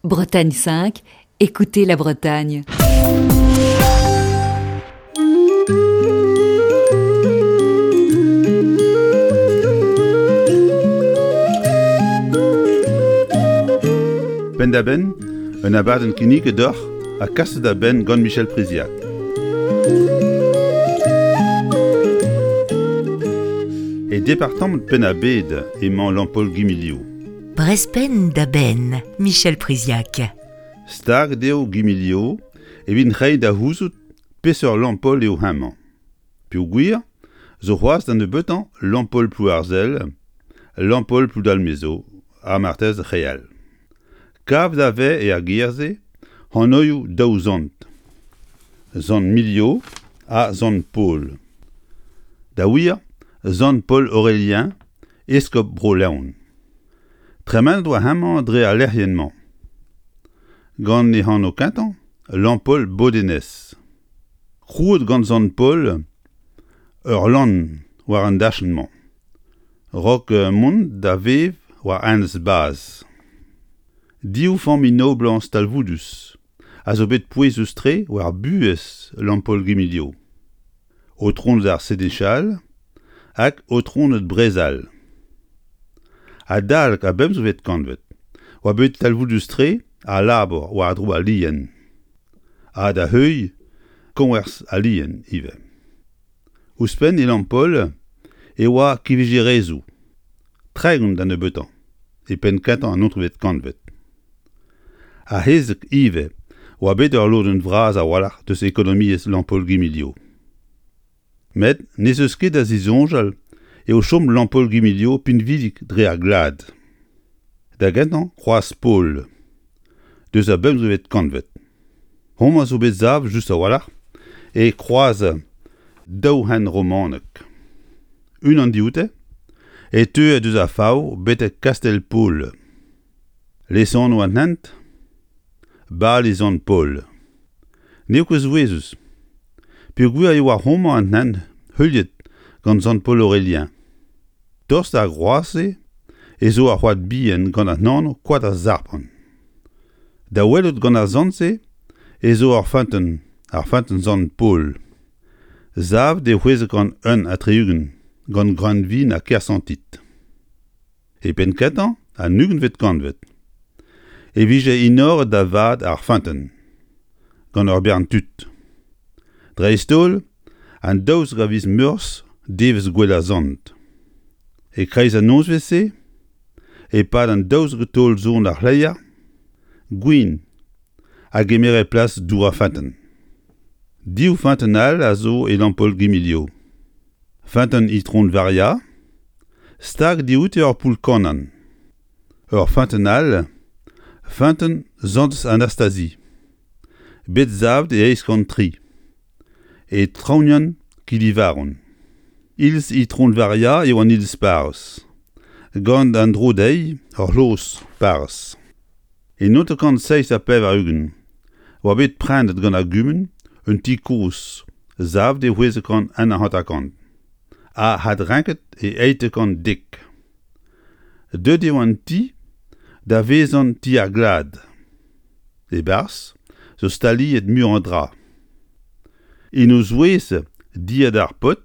Bretagne 5, écoutez la Bretagne. Penn-da-benn, un abadenn kinniget deoc'h ha kaset da benn gant Michel Priziac. E departamant Penn-ar-Bed emañ Lampaul-Guimilio. Brezh-penn da benn, Michel Priziac. Staget eo Guimilio evit reiñ da c'houzout peseurt Lampaul eo hemañ. Peogwir zo c'hoazh da nebeutañ Lampaul Plouarzel, Lampaul Ploudalmezo ha marteze re all. Kavet a vez er gêr-se anvioù daou sant, Sant Milio ha Sant Paol. Da wir, Sant Paol Aurelien Eskob Bro-Leon. Tremenet oa hemañ dre al lec'hienn-mañ. Gant e anv kentañ, Lampaul Bodenez. Krouet gant Sant Paol ur lann war an dachenn-mañ, 'raok mont da vev war Enez Baz. Div familh noblañs talvoudus a zo bet pouezus-tre war buhez Lampaul-Guimilio. Aotroned ar Senechal hag Aotroned Brezal. Adalek ar bemzekvet kantved oa bet talvoudus-tre al labour war-dro al lien, ha da heuilh koñvers al lien ivez. Ouzhpenn e Lampaul e oa kivijerezioù, 30 da nebeutañ, e penn-kentañ an naontekvet kantved. Ar c'hezeg ivez oa bet ur lodenn vras a-walc'h deus ekonomiezh Lampaul-Guimilio. Met n'ez eus ket da zisoñjal eo chom Lampaul-Guimilio pinvidik dre ar glad. Da gentañ Kroaz Pol, deus ar bemzekvet kantved. Homañ zo bet savet just a-walc'h e kroaz daou hent romanek. Unan dioute e teue deus ar Faou betek Kastell-Paol. Lesanv an hent Bali Sant-Paol. N'eo ket souezhus peogwir e oa homañ an hent heuliet gant Sant Paol Aurelien. Tost d'ar groaz-se ez zo ur c'hoad bihan gant an anv Koad ar Sarpant. Da welout gant ar sant-se ez zo ur feunteun, ar feunteun Sant-Paol. Savet e 661 gant Greunvin ha Kersantit. E penn-kentañ an ugentvet kantved e vije enoret da vat ar feunteun gant ur bern tud. Dreist-holl an 12 a viz Meurzh, devezh gouel ar sant. E-kreiz an nozvezh-se, e-pad an 12 taol-son ar c'hleier, gwin a gemere plas dour ar feunteun. Div feunteun all a zo e Lampaul-Guimilio. Feunteun Itron Varia, stag dioute ur poull-kannan. Ur feunteun all, feunteun Santez Anastasie, bet savet e 803, e traoñienn Kilivaron. Iliz Itron Varia eo an iliz parrez, gant an dro dezhi ur c'hloz parrez. E 1987 oa bet prenet gant ar gumun un ti kozh savet e 651 ha adrenket e 810. Deuet eo an ti da vezañ ti ar glad. E-barzh zo staliet muioc'h a dra. En o zouez dilhad ar paotr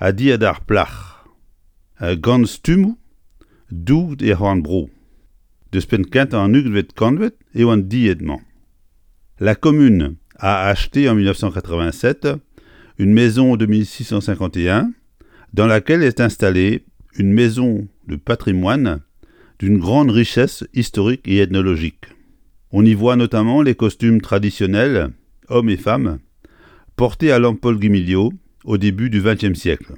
ha dilhad ar plac'h, gant stummoù douget er c'horn-bro. Deus penn-kentañ an ugentvet kantved eo an died-mañ. La commune a acheté en 1987 une maison de 1651 dans laquelle est installée une maison de patrimoine d'une grande richesse historique et ethnologique. On y voit notamment les costumes traditionnels, hommes et femmes, portés à Lampaul-Guimilio au début du XXe siècle.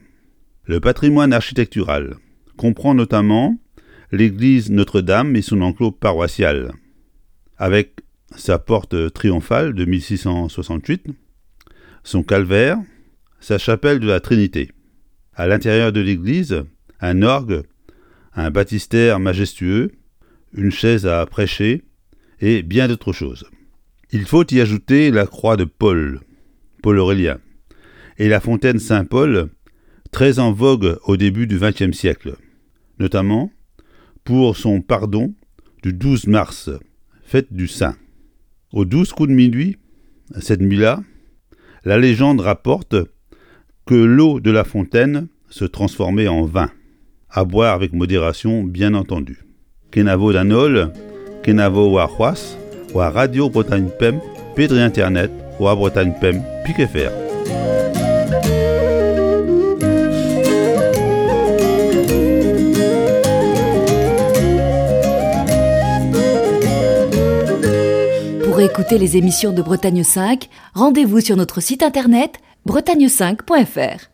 Le patrimoine architectural comprend notamment l'église Notre-Dame et son enclos paroissial, avec sa porte triomphale de 1668, son calvaire, sa chapelle de la Trinité. À l'intérieur de l'église, un orgue, un baptistère majestueux, une chaise à prêcher et bien d'autres choses. Il faut y ajouter la croix de Paul, Paul Aurélien, et la fontaine Saint-Paul, très en vogue au début du XXe siècle, notamment pour son pardon du 12 mars, Fête du Saint. Aux 12 coups de minuit, cette nuit-là, la légende rapporte que l'eau de la fontaine se transformait en vin, à boire avec modération bien entendu. Kenavo d'an holl, kenavo warc'hoazh war Radio Bretagne Pemp pe dre internet war Bretagne Pemp pik fr. Pour écouter les émissions de Bretagne 5, rendez-vous sur notre site internet bretagne5.fr.